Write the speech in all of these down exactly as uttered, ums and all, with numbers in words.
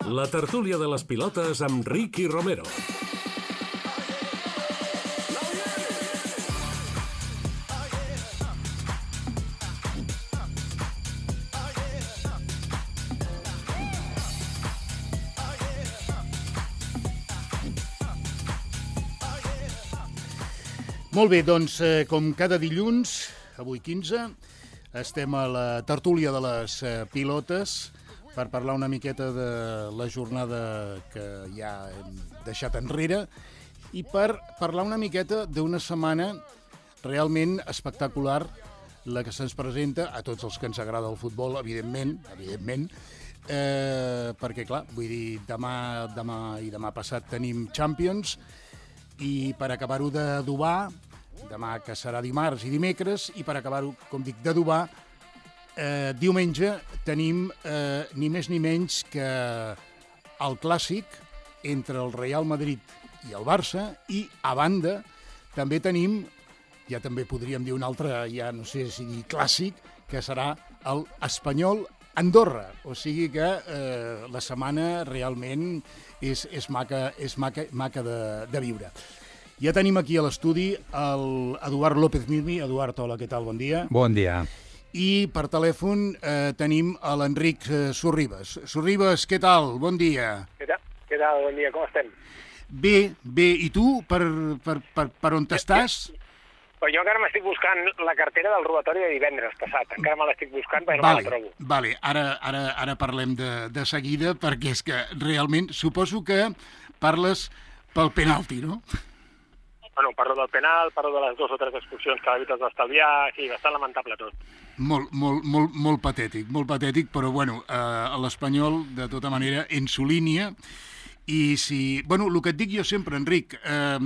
La tertúlia de les pilotes amb Ricky Romero. Molt bé, doncs, eh, com cada dilluns, avui quinze, estem a la tertúlia de les eh, pilotes per parlar una miqueta de la jornada que ja hem deixat enrere i per parlar una miqueta d'una setmana realment espectacular, la que se'ns presenta a tots els que ens agrada el futbol, evidentment, evidentment, eh, perquè, clar, vull dir, demà, demà i demà passat tenim Champions, i per acabar-ho d'adobar, demà que serà dimarts i dimecres, i per acabar-ho, com dic, d'adobar, eh, diumenge tenim eh, ni més ni menys que el clàssic entre el Real Madrid i el Barça, i a banda també tenim, ja també podríem dir un altre, ja no sé si dir clàssic, que serà el Espanyol Andorra, o sigui que eh, la setmana realment és, és maca, és maca, maca de, de viure. Ja tenim aquí a l'estudi l'Eduard López Mirmi. Eduard, hola, què tal? Bon dia. Bon dia. I per telèfon eh, tenim a l'Enric eh, Sorribes. Sorribes, què tal? Bon dia. Què tal? Què tal? Bon dia, com estem? Bé, bé. I tu, per, per, per, per on t'estàs? Però jo encara m'estic buscant la cartera del robatori de divendres passat. Encara me l'estic buscant perquè no vale, me la trobo. Vale, ara, ara, ara parlem de, de seguida, perquè és que realment suposo que parles pel penalti, no? Bueno, parlo del penal, parlo de les dues o tres expulsions que l'àrbitre es va estalviar, sí, bastant lamentable tot. Molt, molt, molt, molt patètic, molt patètic, però bueno, eh, l'Espanyol, de tota manera, en su línia. I si... Bueno, el que et dic jo sempre, Enric, eh,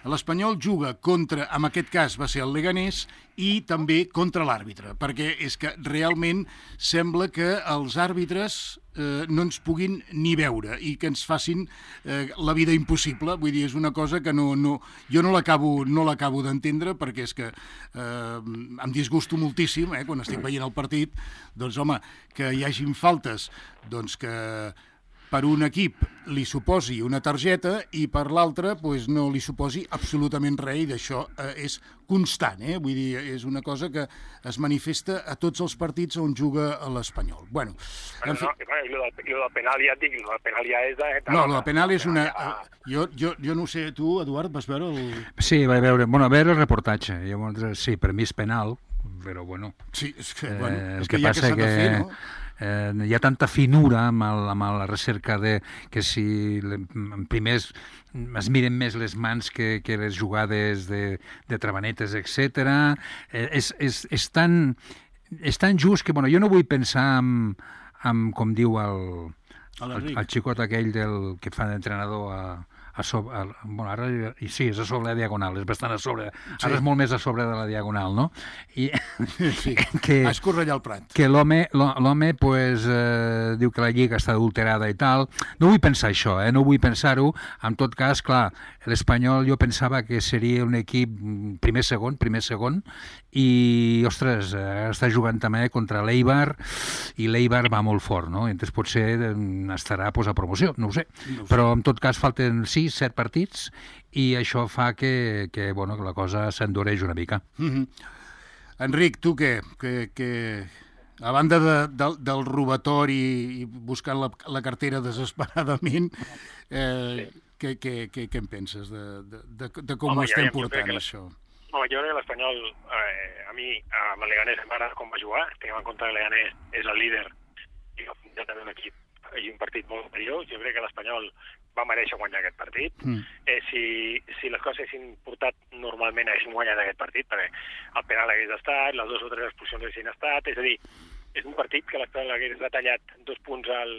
l'Espanyol juga contra, en aquest cas va ser el Leganés, i també contra l'àrbitre, perquè és que realment sembla que els àrbitres eh, no ens puguin ni veure i que ens facin eh, la vida impossible. Vull dir, és una cosa que no, no, jo no l'acabo no l'acabo d'entendre, perquè és que eh, em disgusto moltíssim, eh, quan estic veient el partit, doncs home, que hi hagin faltes, doncs que per un equip li suposi una targeta i per l'altre pues, no li suposi absolutament res, i d'això eh, és constant, eh? Vull dir, és una cosa que es manifesta a tots els partits on juga l'Espanyol. Bueno, bueno fi... no, i bueno, del, del penal ja et dic, el penal ja és de... de no, el penal és una... Ja... Jo, jo, jo no sé, tu, Eduard, vas veure el... Sí, vaig veure, bueno, a veure el reportatge. Llavors, sí, per mi és penal, però bueno... Sí, és que, bueno, eh, és que, que ja que s'ha de fer, no? Eh, hi ha tanta finura amb, el, amb la recerca de que si primers es miren més les mans que, que les jugades de, de trabanetes, etcètera. Eh, és, és, és, tan, és tan just que bueno, jo no vull pensar en, en com diu el, el, el xicot aquell del, que fa d'entrenador a, a sobre, a, bueno, ara i sí, és a sobre la diagonal, és bastant a sobre, sí. Ara és molt més a sobre de la diagonal, no? I sí, que, a escorrellar el prat. Que l'home, l'home pues, eh, diu que la lliga està adulterada i tal. No vull pensar això, eh? No vull pensar-ho. En tot cas, clar, l'Espanyol jo pensava que seria un equip primer-segon, primer-segon, i, ostres, eh, està jugant també contra l'Eibar, i l'Eibar va molt fort, no? Entonces potser estarà pues, a promoció, no ho sé. No ho sé. Però en tot cas falten sis, set partits, i això fa que, que, bueno, que la cosa s'endureix una mica. Mm-hmm. Enric, tu què? Que, que, a banda de, de, del robatori i buscant la, la cartera desesperadament, eh, sí. què, què, què, què en penses de, de, de, de com Home, ho estem ja, portant, la... això? Home, jo crec que l'Espanyol, eh, a mi, amb el Leganés em agrada com va jugar, tinguem en compte que el Leganés és el líder, i ja també un equip i un partit molt superior. Jo crec que l'Espanyol va mereixer guanyar aquest partit. Mm. Eh, si, si les coses haguessin portat normalment haguéssim guanyat aquest partit, perquè el penal hagués estat, les dues o tres expulsions haguessin estat, és a dir, és un partit que l'Espanyol hagués retallat dos punts al,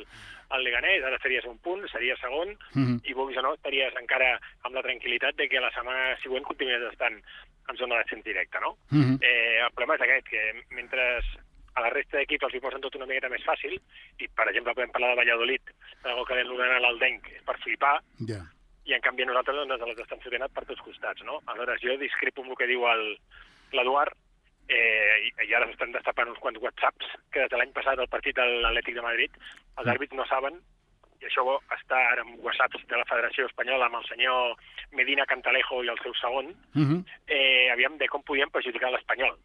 al Leganés, ara series un punt, seria segon, mm-hmm. i vulguis o no, estaries encara amb la tranquil·litat de que la setmana següent continués estant en zona de descens directe, no? Mm-hmm. Eh, el problema és aquest, que mentre a la resta d'equips els hi posen tot una miqueta més fàcil, i per exemple podem parlar de Valladolid, el que vam donar a l'Aldenc és per flipar, yeah. i en canvi nosaltres doncs, les estan fotent per tots costats, no? Aleshores jo discrepo amb el que diu l'Eduard, eh, i, i ara s'estan destapant uns quants whatsapps que des de l'any passat al partit de l'Atlètic de Madrid els àrbits no saben i això està ara en whatsapps de la Federació Espanyola amb el senyor Medina Cantalejo i el seu segon, uh -huh. eh, aviam de com podien perjudicar l'Espanyol.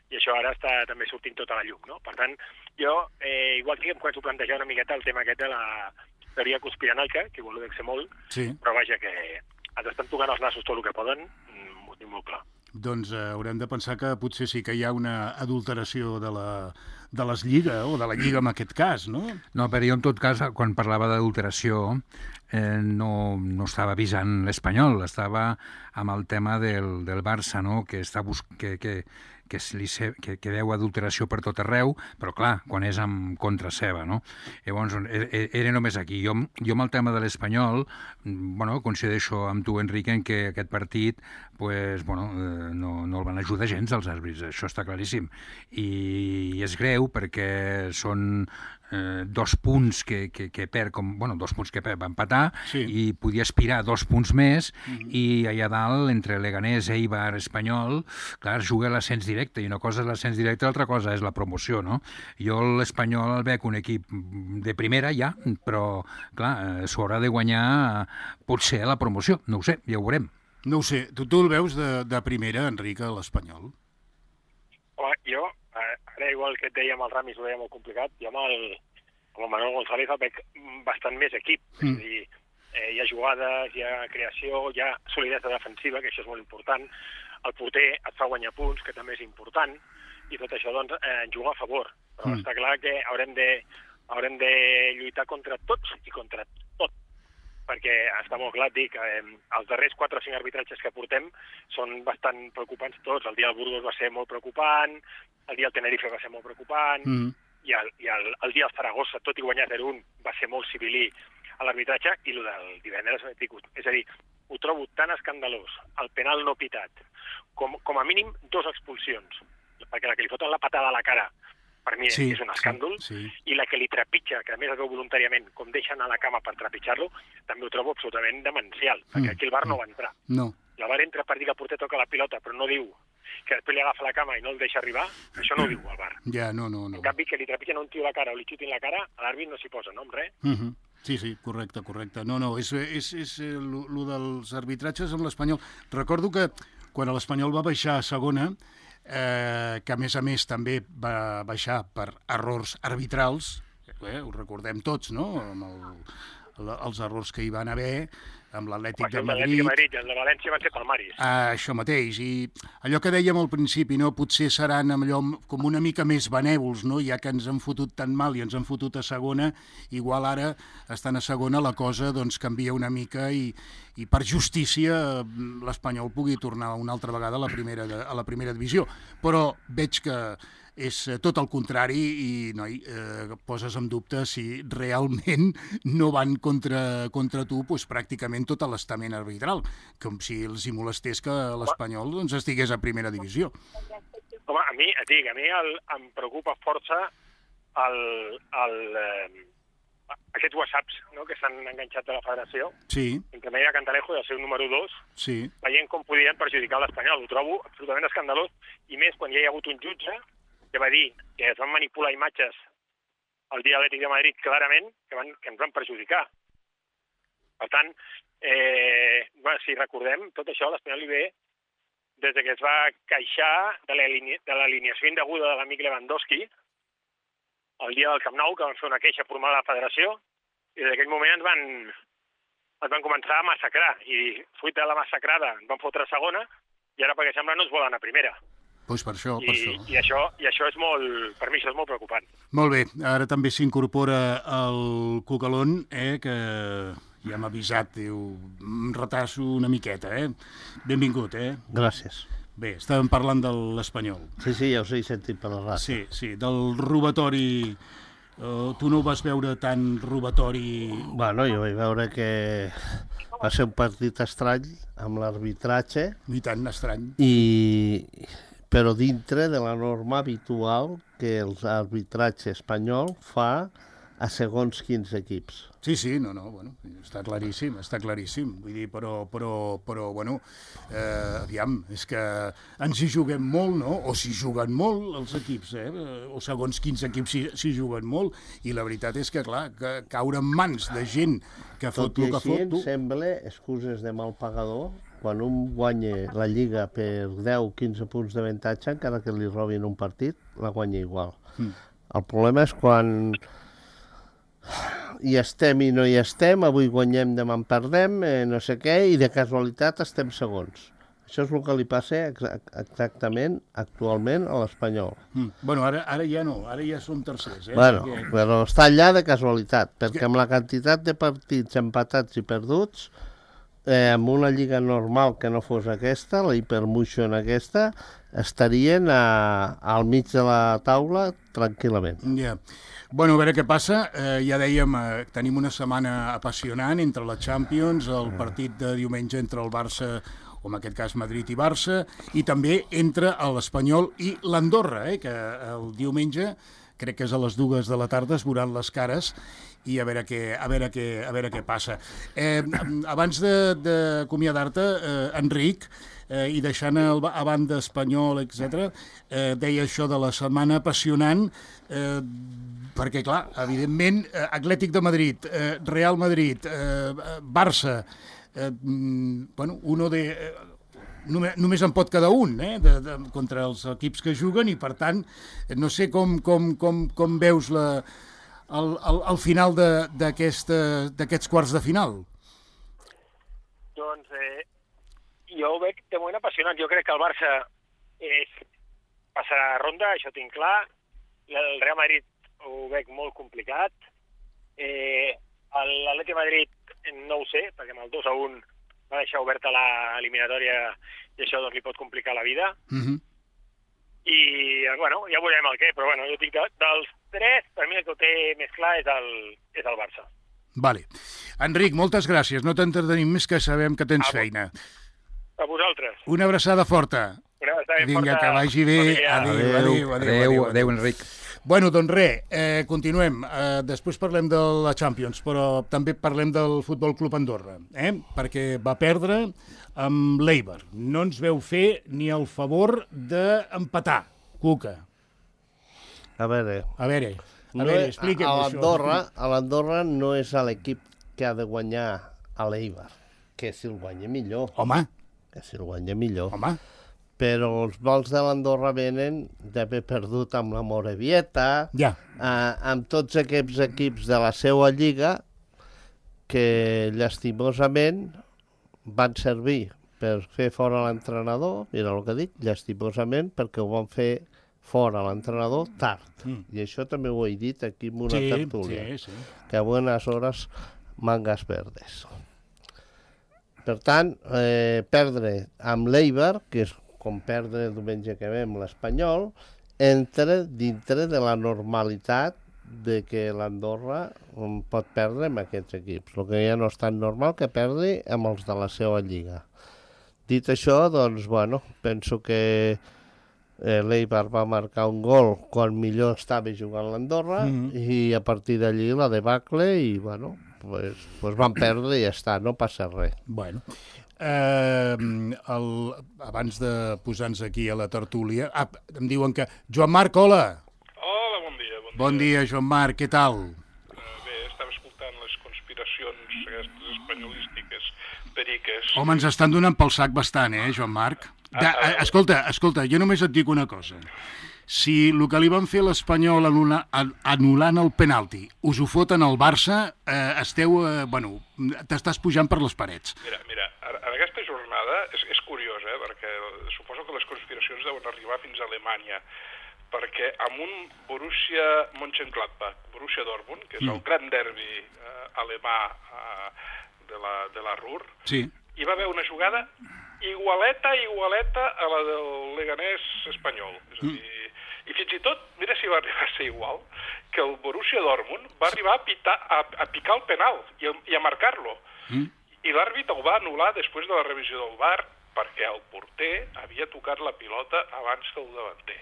I això ara està també sortint tota la llum, no? Per tant, jo, eh, igual que em començo a plantejar una miqueta el tema aquest de la teoria conspiranoica, que vol dir molt, sí. Però vaja, que ens estan tocant els nassos tot el que poden, ho tinc molt clar. Doncs eh, haurem de pensar que potser sí que hi ha una adulteració de la, de les lligues, o de la lliga en aquest cas, no? No, però jo en tot cas, quan parlava d'adulteració, eh, no, no estava avisant l'Espanyol, estava amb el tema del, del Barça, no? Que està bus que, que, que, li se que, que veu adulteració per tot arreu, però clar, quan és en contra seva, no? Llavors, era només aquí. Jo, jo amb el tema de l'Espanyol, bueno, coincideixo amb tu, Enric, en que aquest partit pues, bueno, eh, no, no el van ajudar gens els àrbitres, això està claríssim. I, i és greu perquè són eh, dos punts que, que, que perd, com, bueno, dos punts que perd, va empatar, sí. I podia aspirar dos punts més, mm-hmm. I allà dalt, entre Leganés, Eibar, Espanyol, clar, juga l'ascens directe, i una cosa és l'ascens directe, l'altra cosa és la promoció, no? Jo l'Espanyol el veig un equip de primera ja, però, clar, s'ho haurà de guanyar potser la promoció, no ho sé, ja ho veurem. No ho sé, tu, tu el veus de, de primera, Enric, a l'Espanyol? Home, jo, ara igual que et deia amb el Ramis, ho veia molt complicat, jo amb el, amb el Manuel González el veig bastant més equip, mm. És a dir, eh, hi ha jugades, hi ha creació, hi ha solidesa defensiva, que això és molt important, el porter et fa guanyar punts, que també és important, i tot això doncs eh, en juga a favor, però mm. està clar que haurem de, haurem de lluitar contra tots i contra tot, perquè està molt clar, dic, eh, els darrers quatre o cinc arbitratges que portem són bastant preocupants tots. El dia del Burgos va ser molt preocupant, el dia del Tenerife va ser molt preocupant, mm. i, el, i el, el dia del Zaragoza, tot i guanyar zero un, va ser molt civilí a l'arbitratge, i el del divendres, és a dir, ho trobo tan escandalós, el penal no pitat, com, com a mínim dos expulsions, perquè la que li foten la patada a la cara, per mi sí, és un escàndol, sí, sí. I la que li trepitja, que a més es veu voluntàriament, com deixen a la cama per trepitjar-lo, també ho trobo absolutament demencial, perquè aquí el V A R no va entrar. No. El V A R entra per dir que el porter toca la pilota, però no diu que després li agafa la cama i no el deixa arribar, això no ho diu el V A R. Ja, no, no, no. En canvi, que li trepitgen a un tio a la cara o li xutin la cara, a l'àrbit no s'hi posa, no, amb res. Uh -huh. Sí, sí, correcte, correcte. No, no, és, és, és el dels arbitratges amb l'Espanyol. Recordo que quan l'Espanyol va baixar a segona, eh, que a més a més també va baixar per errors arbitrals, eh, ho recordem tots, no?, amb el, els errors que hi van haver, amb l'Atlètic de Madrid... Madrid. El de València van ser palmaris. Ah, això mateix, i allò que dèiem al principi, no? Potser seran allò com una mica més benèvols, no? Ja que ens han fotut tan mal i ens han fotut a segona, igual ara estan a segona, la cosa doncs canvia una mica i, i per justícia l'Espanyol pugui tornar una altra vegada a la primera, a la primera divisió. Però veig que és tot el contrari i, noi, eh, poses en dubte si realment no van contra, contra tu doncs, pràcticament tot l'estament arbitral, com si els hi molestés que l'Espanyol doncs, estigués a primera divisió. Home, a mi, et dic, a mi el, em preocupa força el, el, eh, aquests whatsapps, no?, que s'han enganxat de la federació, sí. Entre Medina Cantalejo i el seu número dos, sí. Veient com podien perjudicar l'Espanyol. Ho trobo absolutament escandalós, i més quan ja hi ha hagut un jutge que va dir que es van manipular imatges el dia de l'Atlètic de Madrid clarament, que, van, que ens van perjudicar. Per tant, eh, bueno, si recordem, tot això a l'Espanyol li ve des que es va queixar de l'alineació indeguda de l'amic Lewandowski el dia del Camp Nou, que van fer una queixa formal a la federació, i des d'aquell moment ens van, ens van començar a massacrar, i fruit de la massacrada ens van fotre a segona, i ara, perquè sembla, no ens volen a primera. Pues per això, I, per això. I això, i això és molt, per mi això és molt preocupant. Molt bé, ara també s'incorpora el Cucalón, eh, que ja m'ha avisat, diu, em retasso una miqueta, eh? Benvingut, eh? Gràcies. Bé, estàvem parlant de l'Espanyol. Sí, sí, ja us he sentit per la ràdio. Sí, sí, del robatori. Uh, tu no ho vas veure tan robatori... Bueno, jo vaig veure que va ser un partit estrany amb l'arbitratge. I tant, estrany. I... però dintre de la norma habitual que el arbitratge espanyol fa a segons quins equips. Sí, sí, no, no, bueno, està claríssim, està claríssim, vull dir, però, però, però bueno, eh, aviam, és que ens hi juguem molt, no?, o s'hi juguen molt els equips, eh?, o segons quins equips s'hi juguen molt, i la veritat és que, clar, que caure en mans de gent que fot el que fot... Tot i així, sembla, excuses de mal pagador, quan un guanya la Lliga per deu o quinze punts d'avantatge, encara que li robin un partit, la guanya igual. Mm. El problema és quan hi estem i no hi estem, avui guanyem, demà en perdem, eh, no sé què, i de casualitat estem segons. Això és el que li passa exactament actualment a l'Espanyol. Mm. Bueno, ara, ara ja no, ara ja som tercers. Eh? Bueno, perquè... però està allà de casualitat, perquè amb la quantitat de partits empatats i perduts, eh, amb una lliga normal que no fos aquesta, la hipermotion aquesta, estarien a, al mig de la taula tranquil·lament. Ja. Yeah. Bueno, a veure què passa. Eh, ja dèiem, eh, tenim una setmana apassionant entre la Champions, el partit de diumenge entre el Barça, o en aquest cas Madrid i Barça, i també entre l'Espanyol i l'Andorra, eh, que el diumenge, crec que és a les dues de la tarda, es veuran les cares i a veure què, a veure què, a veure què passa. Eh, abans d'acomiadar-te, eh, Enric, eh, i deixant el, a banda Espanyol, etcètera, eh, deia això de la setmana apassionant, eh, perquè, clar, evidentment, eh, Atlètic de Madrid, eh, Real Madrid, eh, Barça, eh, bueno, uno de... Eh, només, només en pot quedar un, eh, de, de, contra els equips que juguen, i, per tant, no sé com, com, com, com veus la, el, el, el final d'aquests quarts de final. Doncs eh, jo ho veig de moment apassionant. Jo crec que el Barça és, passarà ronda, això tinc clar. El Real Madrid ho veig molt complicat. Eh, L'Atlètic de Madrid no ho sé, perquè amb el dos a un va deixar oberta l'eliminatòria i això doncs, li pot complicar la vida. Mm-hmm. I, bueno, ja veurem el què, però bueno, jo dic de, dels tres, per mi el que ho té més clar és el, és el Barça. Vale. Enric, moltes gràcies. No t'entretenim més, que sabem que tens a feina. A vosaltres. Una abraçada forta. Una abraçada Vinga, forta. que vagi bé. Adéu, adéu, adéu, adéu, adéu, adéu, Enric. Bueno, doncs res, eh, continuem. Eh, després parlem de la Champions, però també parlem del Futbol Club Andorra, eh? Perquè va perdre amb l'Eibar. No ens veu fer ni el favor d'empatar, Cuca. A veure... A veure, a no veure, expliquem a això. l'Andorra, a l'Andorra no és l'equip que ha de guanyar a l'Eibar, que si el guanya millor. Home. Que si el guanya millor. Home. Però els vols de l'Andorra venen d'haver perdut amb la Morevieta, ja. eh, amb tots aquests equips de la seva lliga que llastimosament van servir per fer fora l'entrenador, mira el que dic, llastimosament, perquè ho van fer fora l'entrenador tard. Mm. I això també ho he dit aquí en una sí, tertúlia, sí, sí. que a buenas horas mangas verdes. Per tant, eh, perdre amb l'Eibar, que és com perdre el diumenge que ve amb l'Espanyol, entra dintre de la normalitat de que l'Andorra pot perdre amb aquests equips. El que ja no és tan normal que perdi amb els de la seva lliga. Dit això, doncs, bueno, penso que eh, l'Eibar va marcar un gol quan millor estava jugant l'Andorra, mm-hmm. i a partir d'allí la debacle i, bueno, pues, pues van perdre i ja està, no passa res. Bueno... Eh, el, abans de posar-nos aquí a la tertúlia, ah, em diuen que... Joan Marc, hola! Hola, bon dia. Bon dia, bon dia Joan Marc, què tal? Uh, bé, estava escoltant les conspiracions aquestes espanyolístiques periques. Home, ens estan donant pel sac bastant, eh, Joan Marc? De, ah, escolta, escolta, jo només et dic una cosa. Si el que li van fer l'Espanyol anul·lant el penalti us ho foten al Barça, eh, esteu, eh, bueno, t'estàs pujant per les parets. Mira, mira, en aquesta jornada és, és curiós, eh, perquè suposo que les conspiracions deuen arribar fins a Alemanya, perquè amb un Borussia Mönchengladbach, Borussia Dortmund, que és mm. el gran derbi eh, alemà eh, de, la, de la Ruhr, sí. Hi va haver una jugada igualeta, igualeta a la del Leganés espanyol. És a dir, mm. I fins i tot, mira si va arribar a ser igual, que el Borussia Dortmund va arribar a, pitar, a, a picar el penal i a, i a marcar-lo. Mm. I l'àrbit el va anul·lar després de la revisió del V A R perquè el porter havia tocat la pilota abans que el davanter,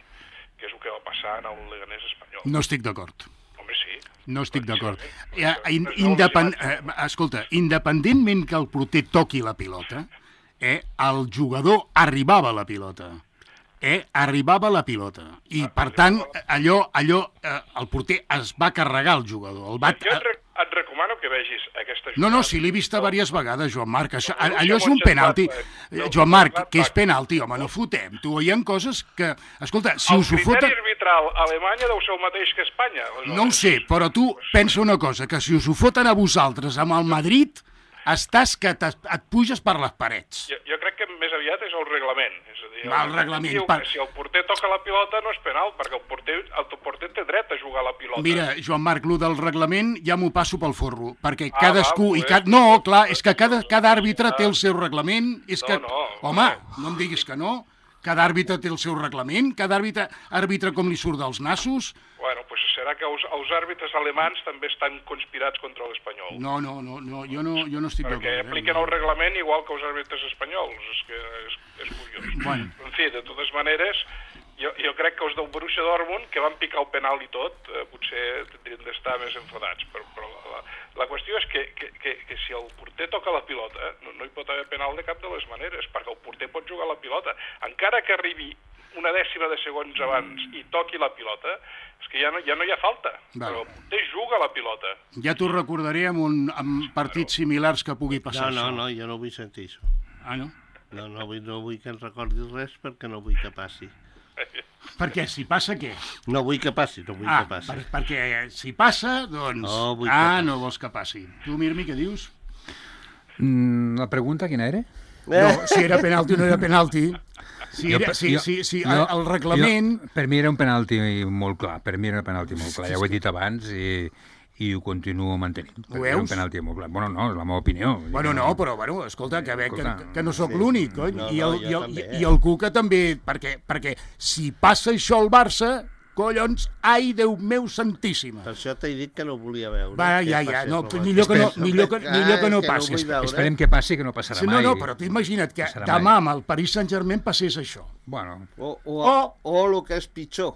que és el que va passar en el Leganés espanyol. No estic d'acord. Home, sí. No estic d'acord. Eh, in, independ... eh, escolta, independentment que el porter toqui la pilota, eh, el jugador arribava a la pilota. Eh, arribava a la pilota. I, per tant, allò, allò eh, el porter es va carregar el jugador. El va... Jo et, rec et recomano que vegis aquesta jugada. No, no, si l'he vista diverses vegades, Joan Marc. Això, allò és un penalti. Joan Marc, que és penalti, home, no fotem. Tu, hi ha coses que... Escolta, si us ho foten... El criteri arbitral a Alemanya deu ser el mateix que a Espanya. No ho sé, però tu pensa una cosa, que si us ho foten a vosaltres amb el Madrid, estàs que et puges per les parets. Jo, jo crec que més aviat és el reglament. És a dir, el, el reglament. Diu per... que si el porter toca la pilota no és penal, perquè el porter, el porter té dret a jugar a la pilota. Mira, Joan Marc, lo del reglament ja m'ho passo pel forro, perquè ah, cadascú... Va, i ca... No, clar, és que cada, cada àrbitre té el seu reglament. És no, que... no, Home, no. no em diguis que no. Cada àrbitre té el seu reglament, cada àrbitre àrbitre com li surt dels nassos. Bueno, doncs serà que els, els àrbitres alemans també estan conspirats contra l'espanyol. No, no, no, no, jo no, jo no estic d'acord. Perquè apliquen eh? el reglament igual que els àrbitres espanyols. És que és, és curiós. Bueno. En fi, de totes maneres, jo, jo crec que els del Borussia Dortmund, que van picar el penal i tot, eh, potser tindrien d'estar més enfadats. Però, però la, la qüestió és que, que, que, que si el porter toca la pilota, no, no hi pot haver penal de cap de les maneres, perquè el porter pot jugar la pilota. Encara que arribi una dècima de segons abans i toqui la pilota, és que ja no, ja no hi ha falta. Val. Però el porter juga la pilota. Ja t'ho recordaré amb, un, amb partits similars que pugui passar No, no, això. no, jo no vull sentir això. Ah, no? No, no vull, no vull que ens recordis res perquè no vull que passi. Perquè si passa, què? No vull que passi, no vull Ah, que passi. per, perquè si passa, doncs... No vull que ah, passi. no vols que passi. Tu, Mirmi, què dius? Mm, la pregunta quina era? No, si era penalti o no era penalti. Si, Jo era, pe- si, jo- si, si jo- el, el reglament... Jo, per mi era un penalti molt clar, per mi era un penalti molt clar, ja ho he dit abans i, i ho continuo mantenint. Ho Era un veus? penalti molt clar. Bueno, no, és la meva opinió. Bueno, no, però, bueno, escolta, que, ve, que, Escolta, que no sóc sí. l'únic, cony. No, I, no, el, jo i, el, també, i, eh? I el Cuca també, perquè, perquè si passa això al Barça, collons, ai, Déu meu santíssima. Per això t'he dit que no volia veure. Va, que ja, ja, passés no, com millor que no, aquest. millor que, millor que no Ai, passi. vull veure. Esperem que passi, que no passarà Sí, no, mai. no, però tu imagina't que Passarà demà mai. amb el Paris Saint-Germain passés això. Bueno, O, o, O- o el que és pitjor,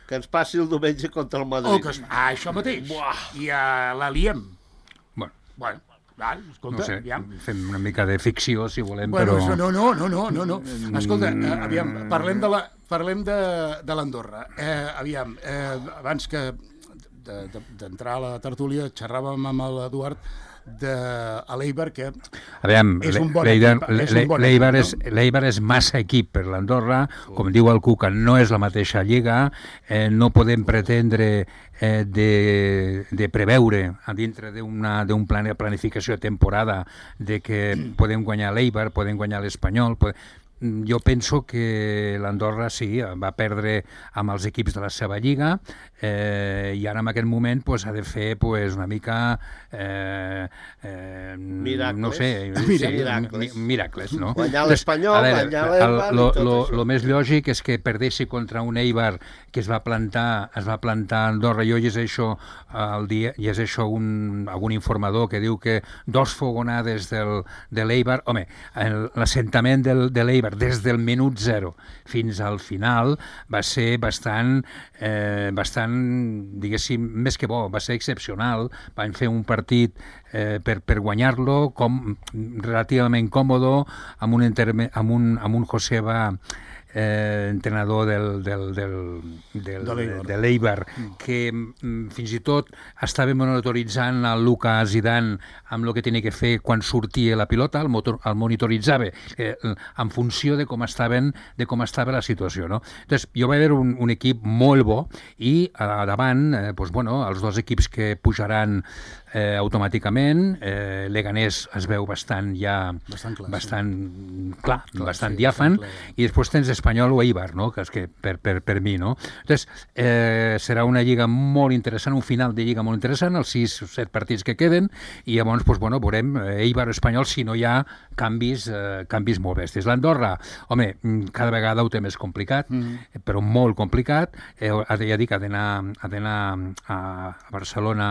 que ens passi el diumenge contra el Madrid. O que, es- ah, això mateix. I uh, la liem. bueno, Bueno, val, escolta, no sé, aviam. fem una mica de ficció, si volem, Bueno, però... això no, no, no, no, no, no. Escolta, eh, aviam, parlem de la, parlem de, de l'Andorra. Eh, aviam, eh, abans que de- de- d'entrar a la tertúlia xerràvem amb l'Eduard de a l'Eibar, que Aviam, és un bon l'Eibar equip, és un bon l'Eibar equip, és, no? l'Eibar és massa equip per l'Andorra, com diu el Cuca, no és la mateixa lliga, eh, no podem pretendre eh, de, de preveure a dintre d'una d'un plan de planificació de temporada de que podem guanyar l'Eibar, podem guanyar l'Espanyol, podem... Jo penso que l'Andorra sí, va perdre amb els equips de la seva lliga eh, i ara en aquest moment pues, ha de fer pues, una mica eh, eh, Miracles. no sé, Miracles. sí, mi- miracles, no? Guanyar l'Espanyol, A veure, guanyar l'Eibar i lo, tot lo, això. lo més lògic és que perdessi contra un Eibar que es va plantar, es va plantar a Andorra. Jo llegeixo el dia, llegeixo un, algun informador que diu que dos fogonades del, de l'Eibar, home, el- l'assentament del, de l'Eibar des del minut zero fins al final va ser bastant, eh, bastant, diguéssim, més que bo, va ser excepcional. Van fer un partit eh, per, per guanyar-lo com relativament còmodo amb un, interme, amb un, amb un Joseba eh, entrenador del, del, del, del, De l'Eibar. de l'Eibar, que mm, fins i tot estava monitoritzant el Luka Zidane amb el que tenia que fer quan sortia la pilota, el, motor, el monitoritzava eh, en funció de com estaven de com estava la situació, no? Entonces, jo vaig veure un, un equip molt bo i a davant, eh, pues, bueno, els dos equips que pujaran eh, automàticament, eh, Leganés es veu bastant ja Bastant clar, sí. bastant clar, Clar, bastant sí, diàfan, bastant clar. i després tens Espanyol o Eibar, no? Que és que per, per, per mi, no? Entonces, eh, serà una lliga molt interessant, un final de lliga molt interessant, els sis o set partits que queden, i llavors, pues, bueno, veurem eh, Eibar o Espanyol si no hi ha canvis, eh, canvis molt bèsties. L'Andorra, home, mm, cada vegada ho té més complicat, mm. però molt complicat. Eh, ha de, ja dic, ha d'anar ha d'anar a, a Barcelona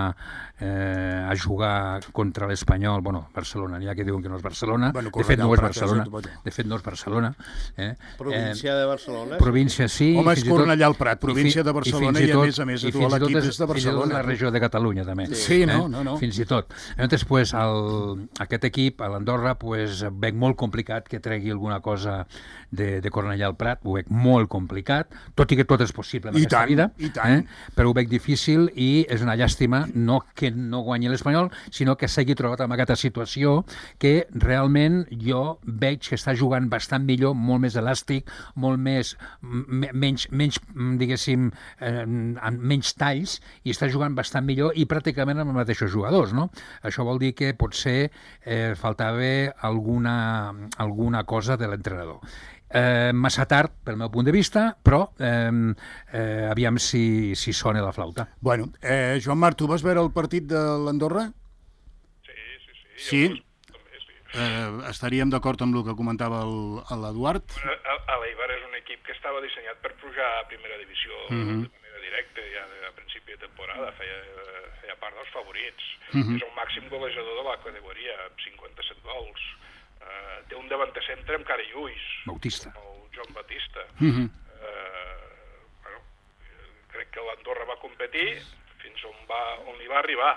eh, a jugar contra l'Espanyol. Bueno, Barcelona, n'hi ha que diuen que no és Barcelona. Bueno, de fet, no és correcte, Barcelona. sí, De fet, no és Barcelona. Eh? Província. província de Barcelona. Província, sí. Home, és fins i tot- Cornellà al Prat, província i fi- de Barcelona, fins i a tot- més a més, i tu, fins i tot l'equip és- és de fins i tot Barcelona. la regió de Catalunya, també. Sí, no, no, no. Fins i tot. Llavors, pues, el, aquest equip, a l'Andorra, pues, veig molt complicat que tregui alguna cosa de, de Cornellà al Prat, ho veig molt complicat, tot i que tot és possible en I aquesta tant, vida, i tant. Eh? Però ho veig difícil i és una llàstima no que no guanyi l'Espanyol, sinó que s'hagi trobat en aquesta situació que realment jo veig que està jugant bastant millor, molt més elàstic, molt més, m- menys, menys diguéssim, eh, amb menys talls, i està jugant bastant millor i pràcticament amb els mateixos jugadors, no? Això vol dir que potser eh, faltava alguna, alguna cosa de l'entrenador. Eh, massa tard, pel meu punt de vista, però eh, eh, aviam si, si sona la flauta. Bueno, eh, Joan Marc, tu vas veure el partit de l'Andorra? Sí, sí, sí. Sí? I els- També, sí. Eh, estaríem d'acord amb el que comentava el- l'Eduard? A- a l'Eibar és un equip que estava dissenyat per pujar a primera divisió Mhm. de manera directa, ja de- a principi de temporada, feia, feia part dels favorits. Mhm. És el màxim golejador de la categoria, amb cinquanta-set gols. Uh, té un davanter centre amb cara i ulls, Bautista. el Joan Batista. Mhm. Uh, bueno, crec que l'Andorra va competir fins on, va, on li va arribar.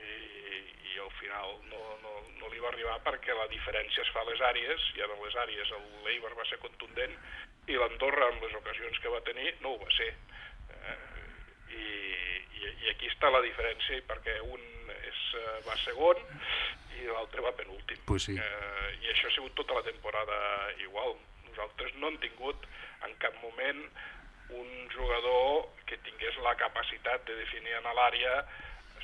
I, i al final no, no, no li va arribar perquè la diferència es fa a les àrees, i en les àrees l'Eibar va ser contundent i l'Andorra, en les ocasions que va tenir, no ho va ser. Eh, i, i, I aquí està la diferència, perquè un és, eh, va segon i l'altre va penúltim. Pues sí. Eh, I això ha sigut tota la temporada igual. Nosaltres no hem tingut en cap moment un jugador que tingués la capacitat de definir en l'àrea,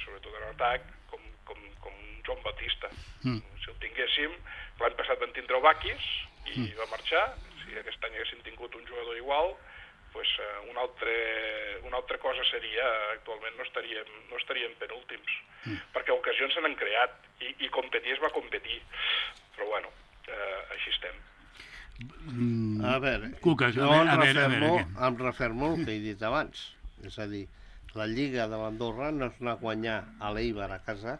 sobretot en atac, com, com, com Joan Batista. Mm. Si el tinguéssim, l'any passat vam tindre el Bakis i mm. va marxar. Si aquest any haguéssim tingut un jugador igual, pues, uh, una, altre, una altra cosa seria, actualment no estaríem, no estaríem penúltims, mm. perquè ocasions se n'han creat i, i competir es va competir. Però bueno, uh, així estem. Mm. A veure, Cuca, jo a em veure, a veure, a refermo, veure, em refermo el que he dit abans. És a dir, la Lliga de l'Andorra no es va guanyar a l'Eibar a casa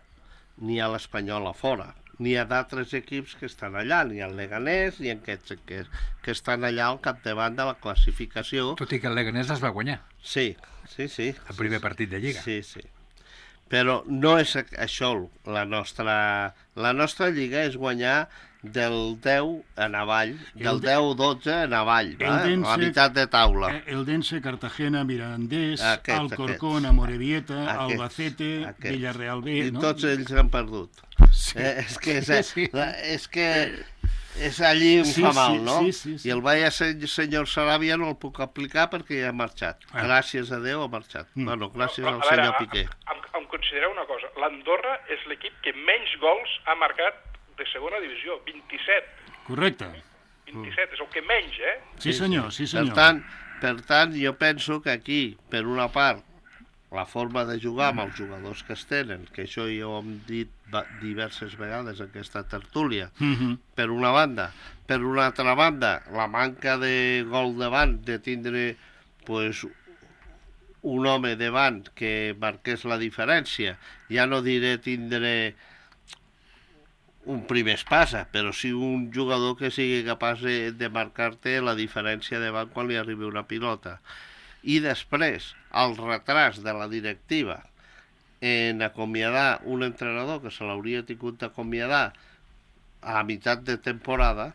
ni a l'Espanyol a fora. N'hi ha d'altres equips que estan allà, ni el Leganés, ni aquests que, que estan allà al capdavant de la classificació. Tot i que el Leganés es va guanyar, Sí, sí, sí. el primer partit de Lliga. Sí, sí. Però no és això la nostra... La nostra lliga és guanyar del deu en avall, del de- deu dotze en avall, El va? Dense- a meitat de taula. Eh, Eldense, Cartagena, Mirandés, Aquest, Alcorcón, aquest. Amorebieta, Aquest, Albacete, aquest. Villarreal B, I no? tots ells han perdut. Sí. Eh, és que és, Sí, sí. la- és que és allí em Sí, fa sí, mal, no? sí, sí, sí. I el vaya se- senyor Saràbia no el puc aplicar perquè ja ha marxat. Ah. Gràcies a Déu ha marxat. Mm. Bueno, gràcies Però, al a veure, senyor Piqué. Em, em considereu una cosa, l'Andorra és l'equip que menys gols ha marcat de segona divisió, vint-i-set. Correcte. vint-i-set, és el que menys, eh? Sí, senyor, sí, Per senyor. tant, per tant, jo penso que aquí, per una part, la forma de jugar amb els jugadors que es tenen, que això ja ho hem dit va- diverses vegades en aquesta tertúlia, Mhm. per una banda. Per una altra banda, la manca de gol davant, de tindre pues, un home davant que marqués la diferència. Ja no diré tindre un primer espasa, però sí un jugador que sigui capaç de, de marcar-te la diferència davant quan li arribi una pilota. I després, el retras de la directiva en acomiadar un entrenador que se l'hauria tingut d'acomiadar a meitat de temporada,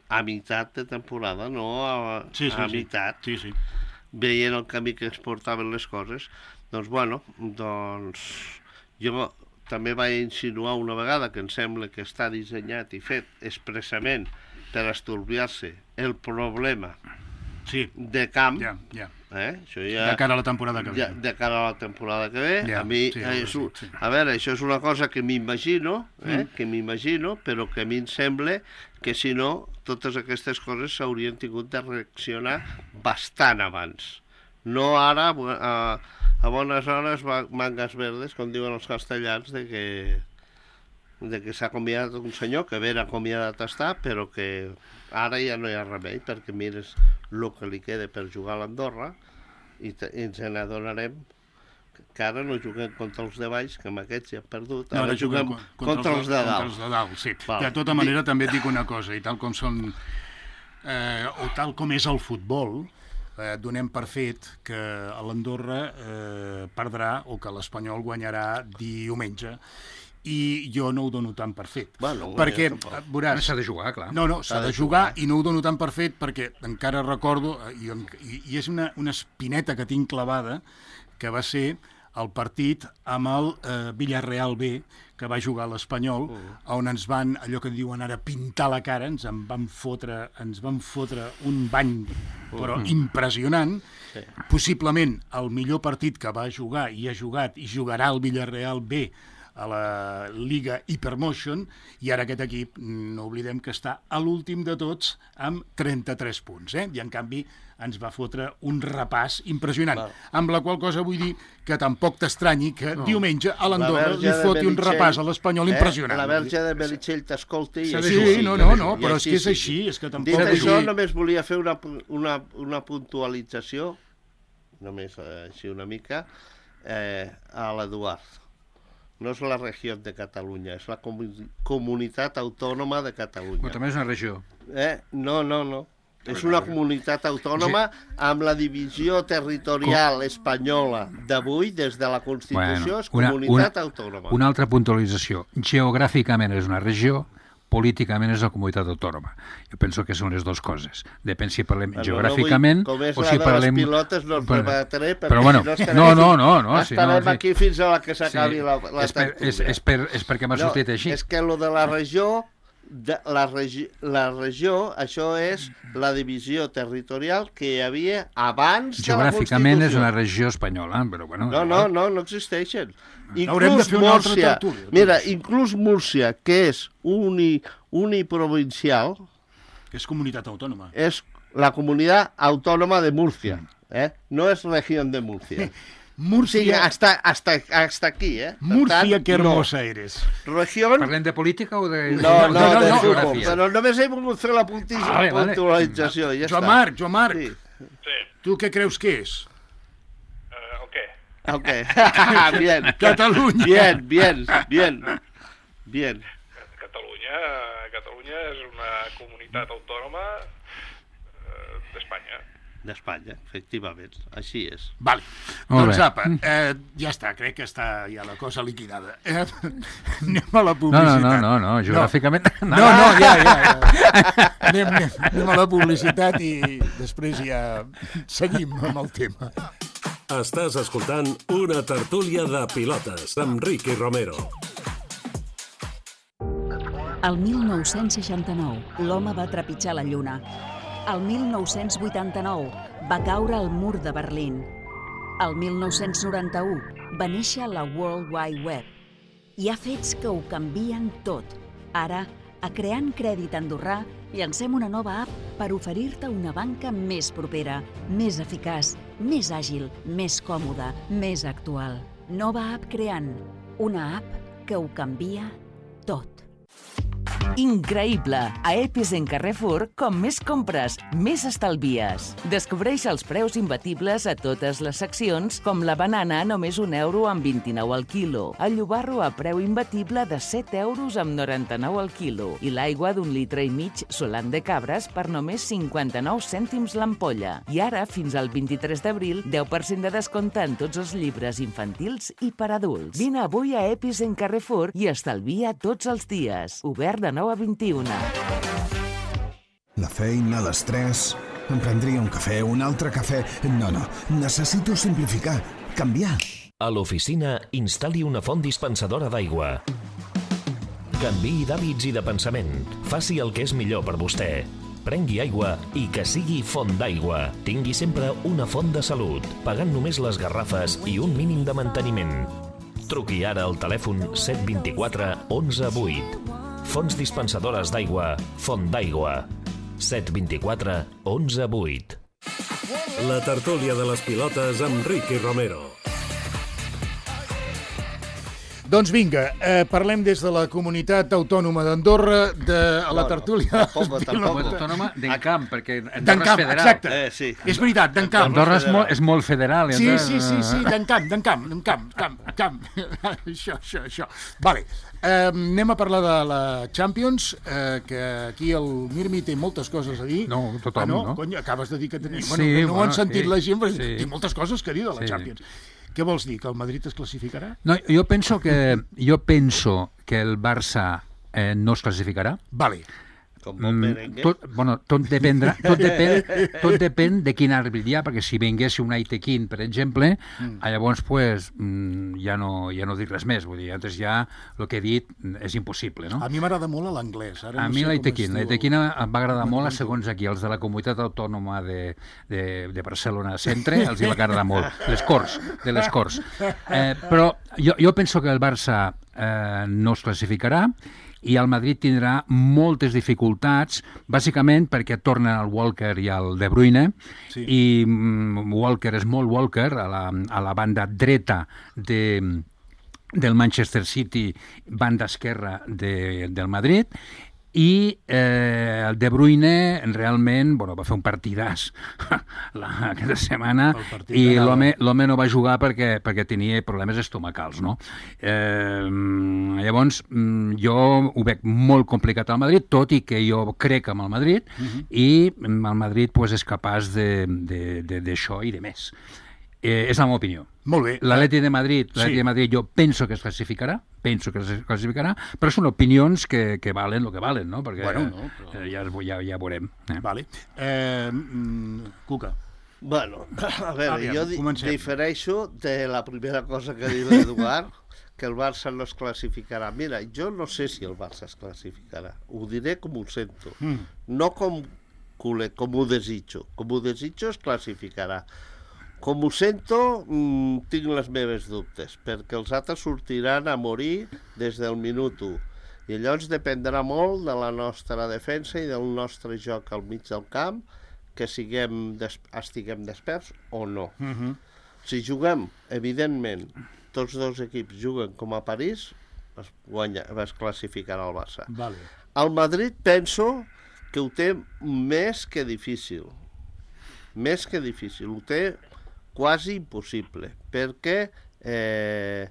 a meitat de temporada, no a, Sí, sí, a sí. meitat, Sí, sí. veient el camí que es portaven les coses, doncs bueno, doncs jo també vaig insinuar una vegada que em sembla que està dissenyat i fet expressament per estalviar-se el problema Sí, de camp, ja, ja. eh? Això ja, De cara a la temporada que ve. ja, de cara a la temporada que ve, Ja, a mi, sí, eh, és sí, un, sí. a veure, això és una cosa que m'imagino, eh? Mm. que m'imagino, però que a mi em sembla que si no, totes aquestes coses s'haurien tingut de reaccionar bastant abans. No ara, a, a bones hores, va- mangas verdes, com diuen els castellans, de que, de que s'ha acomiadat un senyor, que ben acomiadat està, però que ara ja no hi ha remei, perquè mires el que li queda per jugar a l'Andorra i, te, i ens n'adonarem que ara no juguem contra els de baix, que amb aquests ja hem perdut, No, ara juguem contra, contra els de Contra dalt. els de dalt, sí. Val. De tota manera, també et dic una cosa, i tal com són eh, o tal com és el futbol, eh, donem per fet que l'Andorra eh, perdrà o que l'Espanyol guanyarà diumenge. I jo no ho dono tan per fet. Bueno, perquè, ja veuràs... S'ha de jugar, clar. No, no, s'ha de jugar i no ho dono tan per fet perquè encara recordo, i, i, i és una, una espineta que tinc clavada, que va ser el partit amb el eh, Villarreal B, que va jugar a l'Espanyol, uh. on ens van, allò que diuen ara, pintar la cara, ens en van fotre, ens van fotre un bany, però uh. impressionant. Sí. Possiblement el millor partit que va jugar i ha jugat i jugarà el Villarreal B a la Lliga Hypermotion, i ara aquest equip, no oblidem que està a l'últim de tots amb trenta-tres punts, eh? I en canvi ens va fotre un repàs impressionant, Val. Amb la qual cosa vull dir que tampoc t'estranyi que no. diumenge a l'Andorra li foti un repàs a l'Espanyol eh? impressionant. La verge de Meritxell t'escolti. Sí, sí, no, no, no, però és que és així, és que tampoc... Dit això, només volia fer una, una, una puntualització, només així una mica, eh, a l'Eduard. No és la regió de Catalunya, és la comunitat autònoma de Catalunya. Però també és una regió. Eh? No, no, no. És una comunitat autònoma amb la divisió territorial espanyola d'avui, des de la Constitució, és comunitat autònoma. Una altra puntualització. Geogràficament és una regió, políticament és la comunitat autònoma. Jo penso que són les dues coses. Depèn si parlem bueno, geogràficament no vull, o si parlem... Com és la de les pilotes no ens debatré, perquè però, bueno, si no estarem, no, no, no, no, estarem si no, aquí fins a la que s'acabi sí, la, la és per, és, és, per, és perquè m'ha sortit no, així. És que lo de la regió, de, la, regi, la regió, això és la divisió territorial que hi havia abans de la Constitució. Geogràficament és una regió espanyola, però bueno... No, no, no, no existeixen. Inclús Múrcia, mira, inclús Múrcia, que és uni, uniprovincial... Que és comunitat autònoma. És la comunitat autònoma de Múrcia, eh? No és regió de Múrcia. Múrcia... Sí, hasta, hasta, hasta aquí, eh? Múrcia, que hermosa no. eres. Regió... Parlem de política o de... No, no, no, de no, geografia. no, però només he volgut fer la puntualització. Vale, vale. Ja Joan està. Marc, Joan Marc, Sí. Sí. tu què creus que és? Uh, el què? Ok, bien. Catalunya. Bien, bien, bien. Bien. Catalunya, Catalunya és una comunitat autònoma eh, d'Espanya. D'Espanya, efectivament, així és. Vale. Doncs apa, eh, ja està, crec que està ja la cosa liquidada. Eh, anem a la publicitat. No, no, no, no, no geogràficament... No, no, no ja, ja. ja. Anem, anem, anem a la publicitat i després ja seguim amb el tema. Estàs escoltant una tertúlia de pilotes amb Ricky Romero. El mil nou-cents seixanta-nou, l'home va trepitjar la Lluna. El mil nou-cents vuitanta-nou, va caure el mur de Berlín. El mil nou-cents noranta-u, va néixer la World Wide Web. Hi ha fets que ho canvien tot. Ara, a Creant Crèdit Andorrà, llancem una nova app per oferir-te una banca més propera, més eficaç, més àgil, més còmoda, més actual. Nova app Creant, una app que ho canvia tot. Increïble! A Epis en Carrefour, com més compres, més estalvies. Descobreix els preus imbatibles a totes les seccions, com la banana a només un euro amb vint-i-nou al quilo, el llobarro a preu imbatible de set euros amb noranta-nou al quilo i l'aigua d'un litre i mig solant de cabres per només cinquanta-nou cèntims l'ampolla. I ara, fins al vint-i-tres d'abril, deu per cent de descompte en tots els llibres infantils i per adults. Vine avui a Epis en Carrefour i estalvia tots els dies. Obert de nou a vint-i-una. La feina, l'estrès... Em prendria un cafè, un altre cafè... No, no, necessito simplificar, canviar. A l'oficina, instal·li una font dispensadora d'aigua. Canviï d'hàbits i de pensament. Faci el que és millor per vostè. Prengui aigua i que sigui font d'aigua. Tingui sempre una font de salut, pagant només les garrafes i un mínim de manteniment. Truqui ara al telèfon set dos quatre onze vuit. Fonts dispensadores d'aigua, Font d'aigua. set dos quatre onze vuit. La tertúlia de les pilotes amb Ricky Romero. Doncs vinga, eh, parlem des de la comunitat autònoma d'Andorra, de a la No, no, tertúlia... tampoc, tampoc. Autònoma d'Encamp, perquè Andorra D'Encamp, és federal. exacte. Eh, sí. És veritat, d'Encamp. Andorra és molt, és molt federal. Sí, Andorra- sí, sí, sí, d'Encamp, d'Encamp, d'Encamp, camp, camp. Això, això, això. Vale, eh, anem a parlar de la Champions, eh, que aquí el Mirmi té moltes coses a dir. No, tothom, ah, no? no? Cony, acabes de dir que tenia... Sí, bueno, que no ho han bueno, sentit sí, la gent, però sí. té moltes coses que dir de la Sí. Champions. Què vols dir, que el Madrid es classificarà? No, jo penso que, jo penso que el Barça eh, no es classificarà. Vale. Com bon merengue. tot, bueno, tot, dependrà, tot, depèn, tot depèn de quin àrbit hi ha, perquè si vingués un Aitekin, per exemple, mm. llavors pues, mm, ja, no, ja no dic res més. Vull dir, antes ja el que he dit és impossible, no? A mi m'agrada molt l'anglès. Ara A no mi sé com l'Aitekin, es diu. l'Aitekin em va agradar molt, segons aquí, els de la comunitat autònoma de, de, de Barcelona Centre, els hi va agradar molt, les Corts, de les Corts. Eh, però jo, jo penso que el Barça eh, no es classificarà, i el Madrid tindrà moltes dificultats, bàsicament perquè tornen el Walker i el De Bruyne, Sí. i mm, Walker és molt Walker, a la, a la banda dreta de, del Manchester City, banda esquerra de, del Madrid, i eh, el De Bruyne realment bueno, va fer un partidàs la, aquesta setmana, El partit i de Nadal. l'home l'home no va jugar perquè, perquè tenia problemes estomacals, no? Eh, llavors, mm, jo ho veig molt complicat al Madrid, tot i que jo crec en el Madrid, Mhm. i el Madrid pues, és capaç de- de- de- d'això i de més. Eh, és la meva opinió. Molt bé. L'Atleti de Madrid, l'Atleti Sí. de Madrid jo penso que es classificarà, penso que es classificarà, però són opinions que, que valen el que valen, no? Perquè Bueno, no, però- eh, ja, ja, ja veurem. Eh? Vale. Eh, mm, Cuca. Bueno, a veure, Aviam, jo di comencem. difereixo de la primera cosa que ha dit l'Eduard, que el Barça no es classificarà. Mira, jo no sé si el Barça es classificarà. Ho diré com ho sento. Mm. No com, culer, com ho desitjo. Com ho desitjo es classificarà. Com ho sento, mmm, tinc les meves dubtes, perquè els altres sortiran a morir des del minut u. I llavors dependrà molt de la nostra defensa i del nostre joc al mig del camp, que siguem des estiguem desperts o no. Mm -hmm. Si juguem, evidentment, tots dos equips juguen com a París, es, guanya, es classificarà el Barça. Vale. El Madrid penso que ho té més que difícil. Més que difícil. Ho té quasi impossible, perquè, eh,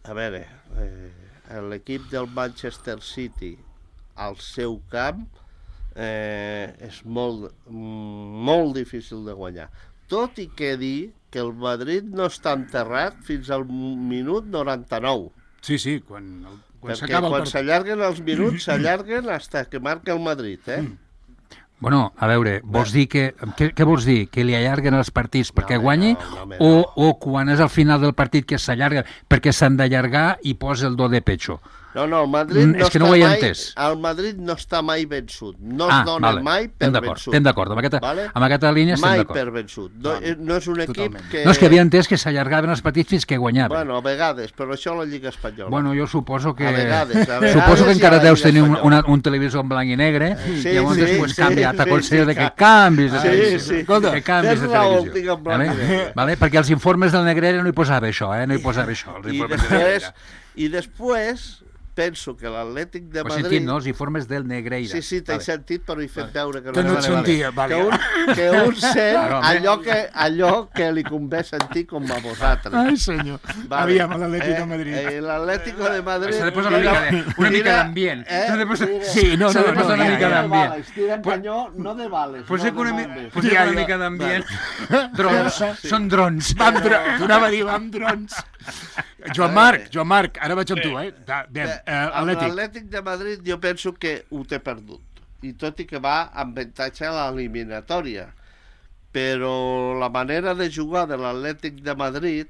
a veure, eh, l'equip del Manchester City al seu camp eh, és molt, molt difícil de guanyar. Tot i que dir que el Madrid no està enterrat fins al minut noranta-nou. Sí, sí, quan, el- quan Perquè s'acaba el quan partit. s'allarguen els minuts, s'allarguen fins que marca el Madrid, eh? Bueno, a veure, vols dir que... Què, què vols dir? Que li allarguen els partits perquè home, guanyi? no, no, home, o, no. o quan és al final del partit que s'allarga perquè s'han d'allargar i posa el do de pecho? No, no, el Madrid Mm, no és que està no ho he mai, entès. el Madrid no està mai vençut. No es Ah, dona vale. mai per Estem d'acord, vençut. estem d'acord. Amb aquesta- amb aquesta línia estem mai d'acord. per vençut. No, Vale. eh, no és un equip Totalment. que... No, és que havia entès que s'allargaven els partits fins que guanyaven. Bueno, a vegades, però això a la Lliga Espanyola. Bueno, jo suposo que... A vegades, a vegades suposo que i encara a la deus Lliga tenir un, Espanyola. una, un televisor en blanc i negre, Sí, i llavors sí, després sí, canvia. sí, T'aconsello sí, de que ca- canvis de Sí, televisió. sí. Escolta, que canvis tens de raó, televisió. tinc en blanc i Vale? negre. Vale? Perquè els informes del Negrera no hi posava això, eh? No hi posava això. Els I informes del després, Negrera. i després penso que l'Atlètic de Ho he Madrid... sentit, no? Els informes del Negreira. Sí, sí, t'he Vale. sentit, però he fet veure que Que no et vale, vale. sentia, vale. Que un, que un sent Claro, home. allò que, allò que li convé sentir com a vosaltres. Ai, senyor. Vale. Aviam, l'Atlètic de Madrid. Eh, eh, L'Atlético de Madrid... S'ha de posar una mica de- una mica d'ambient. Eh? S'ha de posar- Tira- Sí, no, s'ha no, de no, posar una ja, mica ja. d'ambient. Vales, tiren canyó, no de bales, Pues no que de una, mi- bombes. posem Ja, una ja. mica d'ambient. Drons, són drons. Vam dro... Tornava a dir, vam drons. Joan Marc, Joan Marc, ara vaig amb tu, eh? Da- Aviam, Bé, eh, amb Atlètic. l'Atlètic de Madrid jo penso que ho té perdut. I tot i que va amb avantatge a l'eliminatòria. Però la manera de jugar de l'Atlètic de Madrid,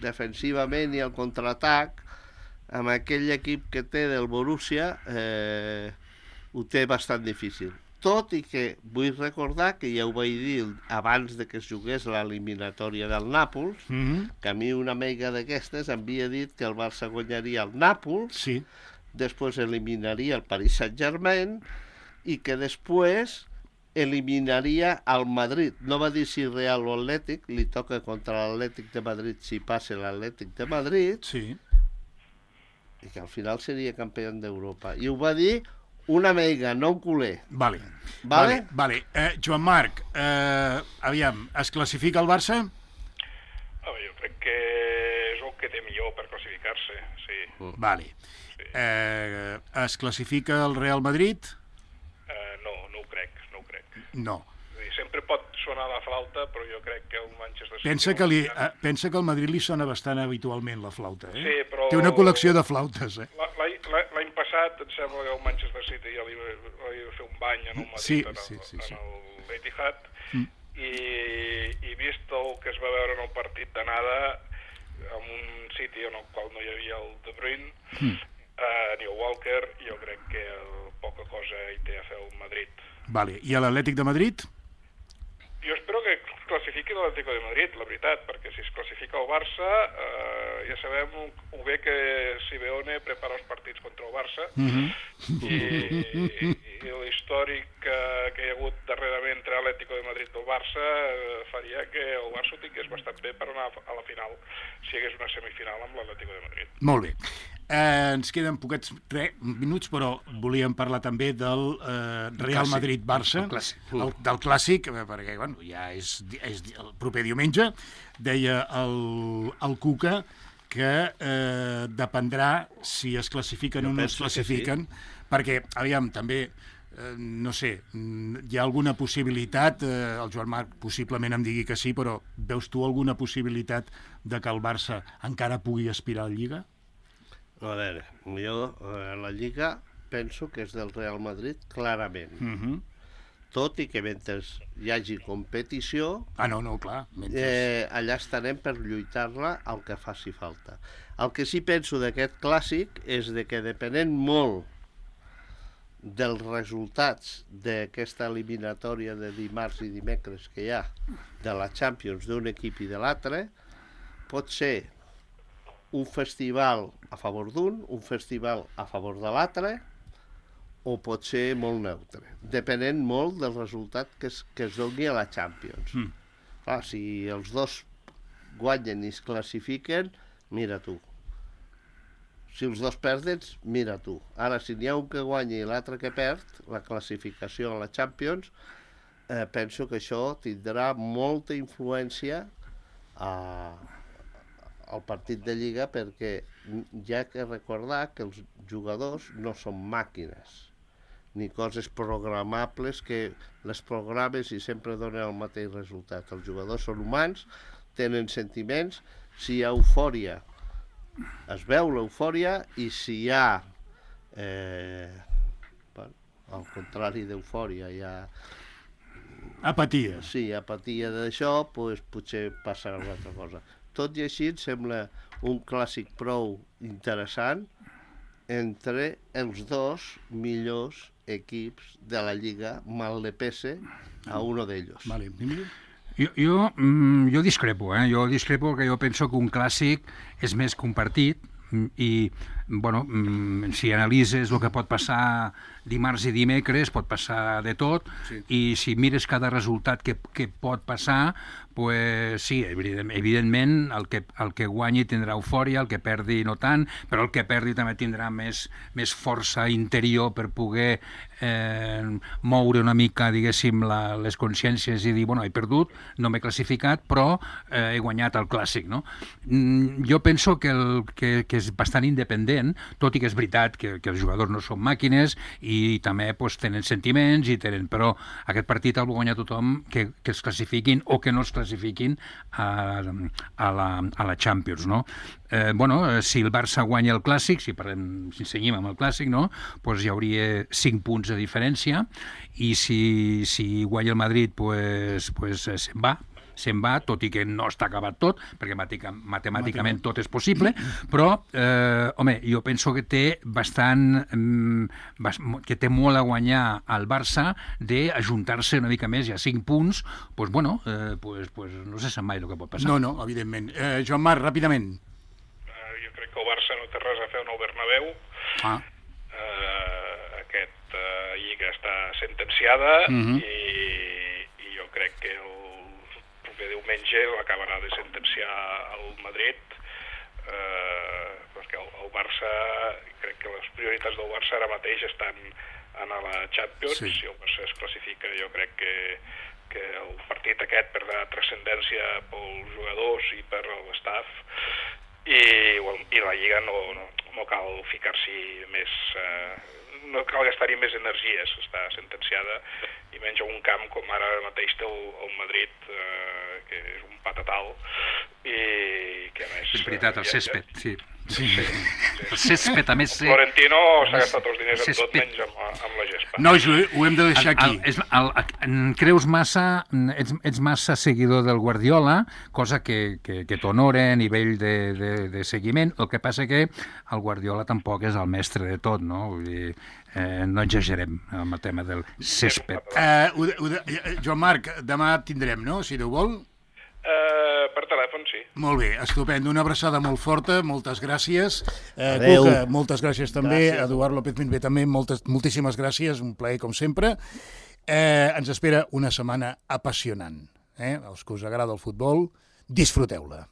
defensivament i al contraatac, amb aquell equip que té del Borussia, eh, ho té bastant difícil. Tot i que vull recordar que ja ho vaig dir abans de que es jugués l'eliminatòria del Nàpols, Mhm. que a mi una amiga d'aquestes em havia dit que el Barça guanyaria el Nàpols, Sí. després eliminaria el Paris Saint-Germain i que després eliminaria el Madrid. No va dir si Real o Atlètic, li toca contra l'Atlètic de Madrid si passa l'Atlètic de Madrid, Sí. i que al final seria campió d'Europa. I ho va dir una meiga, no un culer. Vale. Vale? Vale, vale. Eh, Joan Marc, eh, aviam, es classifica el Barça? Ah, jo crec que és el que té millor per classificar-se, sí. Vale. Sí. Eh, es classifica el Real Madrid? Uh, no, no ho crec, no ho crec. No. Vull dir, sempre pot sonar la flauta, però jo crec que el Manchester City... Pensa que, li, eh, pensa que al Madrid li sona bastant habitualment la flauta, eh? Sí, però... Té una col·lecció de flautes, eh? L'any passat em sembla que el Manchester City ja li, li va fer un bany en el Madrid, sí, en el, sí, sí, sí. en l'Etihad, mm. i, i vist el que es va veure en el partit d'anada, en un City en el qual no hi havia el De Bruyne, mm. uh, ni el Walker, jo crec que el, poca cosa hi té a fer el Madrid. Vale. I a l'Atlètic de Madrid? Jo espero que classifiqui l'Atlético de Madrid, la veritat, perquè si es classifica el Barça, eh, ja sabem ho bé que Simeone prepara els partits contra el Barça, mm-hmm. i, i l'històric que, que hi ha hagut darrerament entre l'Atlético de Madrid i el Barça eh, faria que el Barça ho tingués bastant bé per anar a la final, si hi hagués una semifinal amb l'Atlético de Madrid. Molt bé. Eh, ens queden poquets re, minuts, però volíem parlar també del eh, Real Madrid-Barça, del, del clàssic, perquè bueno, ja és, és el proper diumenge. Deia el, el Cuca que eh, dependrà si es classifiquen jo o no es classifiquen, sí. Perquè, aviam, també, eh, no sé, hi ha alguna possibilitat, eh, el Joan Marc possiblement em digui que sí, però veus tu alguna possibilitat de que el Barça encara pugui aspirar a la Lliga? A veure, jo eh, la Lliga penso que és del Real Madrid, clarament. Uh-huh. Tot i que mentre hi hagi competició, ah, no, no, clar, mentre... eh, allà estarem per lluitar-la el que faci falta. El que sí penso d'aquest clàssic és de que depenent molt dels resultats d'aquesta eliminatòria de dimarts i dimecres que hi ha de la Champions d'un equip i de l'altre, pot ser un festival a favor d'un, un festival a favor de l'altre, o pot ser molt neutre, depenent molt del resultat que es, que es doni a la Champions. Mm. Clar, si els dos guanyen i es classifiquen, mira tu. Si els dos perden, mira tu. Ara, si n'hi ha un que guanya i l'altre que perd, la classificació a la Champions, eh, penso que això tindrà molta influència a... al partit de Lliga, perquè hi ha que recordar que els jugadors no són màquines ni coses programables que les programes i sempre donen el mateix resultat. Els jugadors són humans, tenen sentiments, si hi ha eufòria es veu l'eufòria, i si hi ha eh, bueno, al contrari d'eufòria hi ha apatia, sí, apatia d'això, doncs potser passarà una altra cosa. Tot i així, em sembla un clàssic prou interessant entre els dos millors equips de la Lliga, mal le pese a uno d'ells. Vale. Jo, jo, mm, jo discrepo, eh? Jo discrepo perquè jo penso que un clàssic és més que un partit, i bueno, si analitzes el que pot passar dimarts i dimecres, pot passar de tot, sí. I si mires cada resultat que, que pot passar, pues sí, evidentment el que, el que guanyi tindrà eufòria, el que perdi no tant, però el que perdi també tindrà més, més força interior per poder eh, moure una mica, diguéssim, la, les consciències i dir, bueno, he perdut, no m'he classificat, però eh, he guanyat el clàssic, no? Mm, jo penso que, el, que, que és bastant independent, tot i que és veritat que, que els jugadors no són màquines i també pues, tenen sentiments, i tenen, però aquest partit el va guanyar tothom que, que es classifiquin o que no es classifiquin a, a, la, a la Champions, no? Eh, bueno, si el Barça guanya el Clàssic, si, parlem, si seguim amb el Clàssic, no? Pues hi hauria cinc punts de diferència, i si, si guanya el Madrid, pues, pues se'n va, se'n va, tot i que no està acabat tot, perquè matemàticament tot és possible, però, eh, home, jo penso que té bastant, eh, que té molt a guanyar al Barça d'ajuntar-se una mica més, ja cinc punts, doncs, bueno, eh, pues, pues, no se sap mai el que pot passar. No, no, evidentment. Eh, Joan Marc, ràpidament. Uh, jo crec que el Barça no té res a fer en el Bernabéu. Ah. Uh, aquest uh, lliga està sentenciada, uh-huh. i, i jo crec que el proper diumenge l'acabarà de sentenciar el Madrid, eh, perquè el, el el Barça, crec que les prioritats del Barça ara mateix estan en la Champions, sí. Si el Barça es classifica, jo crec que, que el partit aquest perdrà transcendència pels jugadors i per l'estaf, i, i la Lliga no, no, no cal ficar-s'hi més, eh, no cal gastar-hi més energies, està sentenciada, i menys a un camp com ara mateix té el, el Madrid, eh, que és un patatal, i que a més... És veritat, el césped, sí. Sí, sí, sí. El césped, a més... Sí. Florentino s'ha gastat els diners en tot, menys amb, amb la gespa. Nois, ho, ho hem de deixar aquí. El, el, el, el, creus massa, ets, ets massa seguidor del Guardiola, cosa que, que, que t'honora a nivell de, de, de seguiment. El que passa que el Guardiola tampoc és el mestre de tot, no? Vull dir, eh, no exagerem amb el tema del césped. Uh, ho, ho, Joan Marc, demà tindrem, no?, si Déu vol? Uh, per telèfon, sí. Molt bé, estupendo. Una abraçada molt forta, moltes gràcies. Eh, Adéu. Cuca, moltes gràcies també. Gràcies. Eduard López Minvé també, moltes, moltíssimes gràcies, un plaer com sempre. Eh, ens espera una setmana apassionant. Eh? Els que us agrada el futbol, disfruteu-la.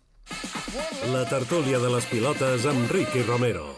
La tertúlia de les pilotes amb Ricky Romero.